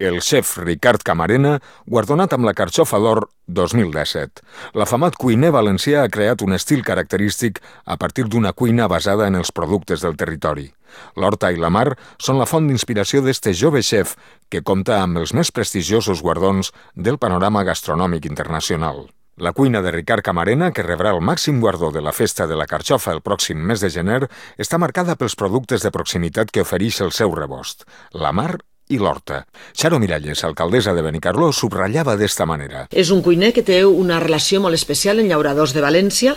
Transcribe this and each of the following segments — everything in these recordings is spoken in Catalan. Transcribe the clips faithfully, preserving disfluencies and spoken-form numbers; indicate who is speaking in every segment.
Speaker 1: El xef Ricard Camarena, guardonat amb la Carxofa d'Or dos mil disset. L'afamat cuiner valencià ha creat un estil característic a partir d'una cuina basada en els productes del territori. L'horta i la mar són la font d'inspiració d'este jove xef que compta amb els més prestigiosos guardons del panorama gastronòmic internacional. La cuina de Ricard Camarena, que rebrà el màxim guardó de la Festa de la Carxofa el pròxim mes de gener, està marcada pels productes de proximitat que ofereix el seu rebost, la mar i l'horta. Xaro Miralles, alcaldessa de Benicarló, subratllava d'esta manera.
Speaker 2: És un cuiner que té una relació molt especial amb llauradors de València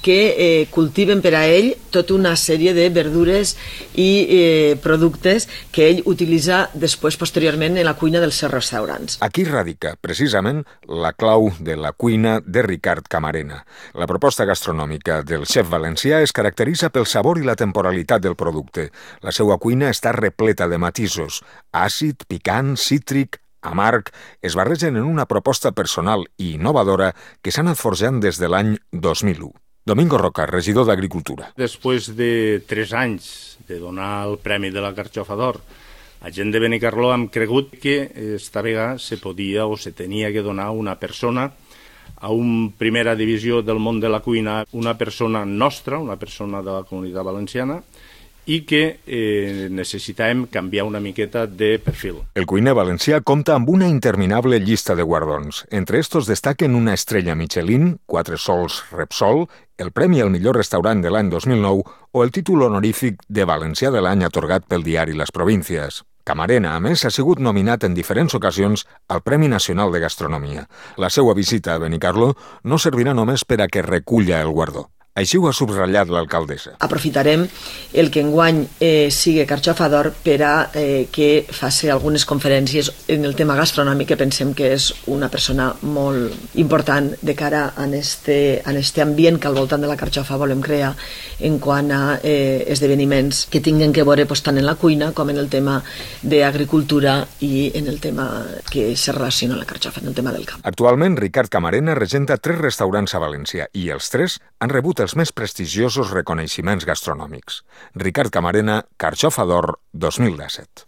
Speaker 2: que eh, cultiven per a ell tota una sèrie de verdures i eh, productes que ell utilitza després, posteriorment, en la cuina dels seus restaurants.
Speaker 1: Aquí radica, precisament, la clau de la cuina de Ricard Camarena. La proposta gastronòmica del xef valencià es caracteritza pel sabor i la temporalitat del producte. La seva cuina està repleta de matisos, àcid, picant, cítric, amarg, es barregen en una proposta personal i innovadora que s'ha anat forjant des de l'any dos mil u. Domingo Roca, regidor d'Agricultura.
Speaker 3: Després de tres anys de donar el Premi de la Carxofa d'Or, la gent de Benicarló hem cregut que esta vegada se podia o se tenia que donar una persona a una primera divisió del món de la cuina, una persona nostra, una persona de la Comunitat Valenciana, i que eh, necessitàvem canviar una miqueta de perfil.
Speaker 1: El cuiner valencià compta amb una interminable llista de guardons. Entre estos destaquen una estrella Michelin, quatre sols Repsol, el Premi al millor restaurant de l'any dos mil nou o el títol honorífic de Valencià de l'any atorgat pel diari Les Províncies. Camarena, a més, ha sigut nominat en diferents ocasions al Premi Nacional de Gastronomia. La seva visita a Benicarló no servirà només per a que reculla el guardó. Així ho ha subratllat l'alcaldessa.
Speaker 2: Aprofitarem el que enguany eh, sigui Carxofa d'Or per a eh, que faci algunes conferències en el tema gastronòmic, que pensem que és una persona molt important de cara a este, a este ambient que al voltant de la Carxofa volem crear en quant a eh, esdeveniments que tinguen que veure pues, tant en la cuina com en el tema d'agricultura i en el tema que se relaciona amb la Carxofa, en el tema del camp.
Speaker 1: Actualment, Ricard Camarena regenta tres restaurants a València i els tres han rebut els més prestigiosos reconeixements gastronòmics. Ricard Camarena, Carxofa d'Or dos mil disset.